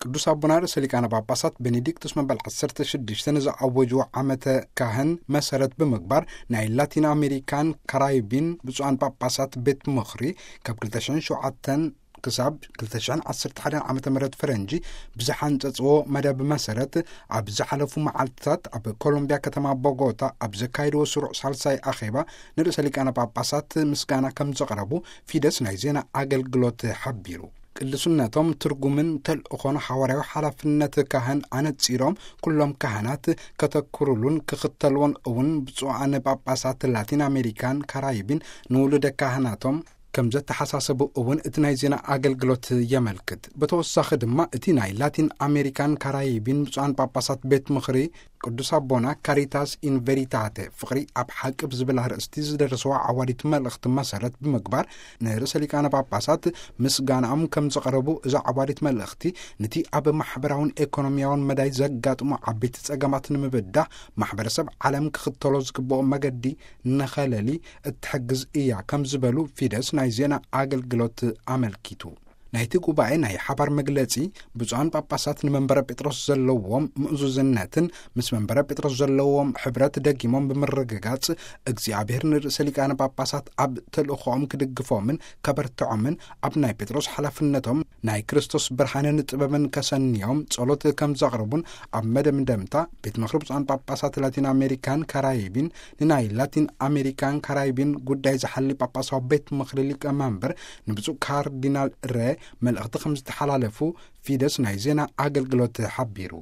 ቅዱስ ኣቦና ርእሰ ሊቃነ ጳጳሳት ቤኔዲክቱስ መበል ዓሰርተ ሽዱሽተ ንዝኣወጅዎ ዓመተ ካህን መሰረት ብምግባር፣ ናይ ላቲን ኣሜሪካን ካራይቢን ብፁዓን ጳጳሳት ቤት ምኽሪ ካብ ክልተ ሽሕን ሸውዓተን ክሳብ ክልተ ሽሕን ዓሰርተ ሓደን ዓመተ ምህረት ፈረንጂ ብዝሓንጸጽዎ መደብ መሰረት፣ ኣብ ዝሓለፉ መዓልትታት ኣብ ኮሎምቢያ ከተማ ቦጎታ ኣብ ዘካየድዎ ስሩዕ ሳልሳይ ኣኼባ፣ ንርእሰ ሊቃነ ጳጳሳት ምስጋና ከም ዘቕረቡ ፊደስ ናይ ዜና ኣገልግሎት ሓቢሩ። ቅዱስነቶም ትርጉምን ተልእኾን ሓዋርያዊ ሓላፍነት ካህን ኣነጺሮም፣ ኩሎም ካህናት ከተኩሩሉን ክኽተልዎን እውን ብፁዓን ጳጳሳት ላቲን ኣሜሪካን ካራይቢን ንውሉደ ካህናቶም ከም ዘተሓሳሰቡ እውን እቲ ናይ ዜና ኣገልግሎት የመልክት። ብተወሳኺ ድማ እቲ ናይ ላቲን ኣሜሪካን ካራይቢን ብፁዓን ጳጳሳት ቤት ምኽሪ ቅዱስ ኣቦና ካሪታስ ኢን ቬሪታቴ፣ ፍቕሪ ኣብ ሓቂ ብዝብል ኣርእስቲ ዝደረስዋ ዓዋዲት መልእኽቲ መሰረት ብምግባር፣ ንርእሰ ሊቃነ ጳጳሳት ምስጋናኦም ከም ዘቕረቡ፣ እዛ ዓዋዲት መልእኽቲ ነቲ ኣብ ማሕበራውን ኤኮኖሚያውን መዳይ ዘጋጥሙ ዓበይቲ ጸገማት ንምብዳህ ማሕበረሰብ ዓለም ክኽተሎ ዝግብኦ መገዲ ንኸለሊ እትሕግዝ እያ ከም ዝበሉ ፊደስ ናይ ዜና ኣገልግሎት ኣመልኪቱ። ናይቲ ጉባኤ ናይ ሓባር መግለጺ፣ ብፁዓን ጳጳሳት ንመንበረ ጴጥሮስ ዘለዎም ምእዙዝነትን ምስ መንበረ ጴጥሮስ ዘለዎም ሕብረት ደጊሞም ብምርግጋጽ፣ እግዚኣብሔር ንርእሰ ሊቃነ ጳጳሳት ኣብ ተልእኾኦም ክድግፎምን ከበርትዖምን፣ ኣብ ናይ ጴጥሮስ ሓላፍነቶም ናይ ክርስቶስ ብርሃንን ጥበብን ከሰንዮም ጸሎት ከም ዘቕርቡን፣ ኣብ መደምደምታ ቤት ምኽሪ ብፁዓን ጳጳሳት ላቲን ኣሜሪካን ካራይቢን ንናይ ላቲን ኣሜሪካን ካራይቢን ጉዳይ ዝሓሊ ጳጳሳዊ ቤት ምኽሪ ሊቀ መንበር ንብፁዕ ካርዲናል ሬ መልእኽቲ ከም ዝተሓላለፉ ፊደስ ናይ ዜና ኣገልግሎት ሓቢሩ።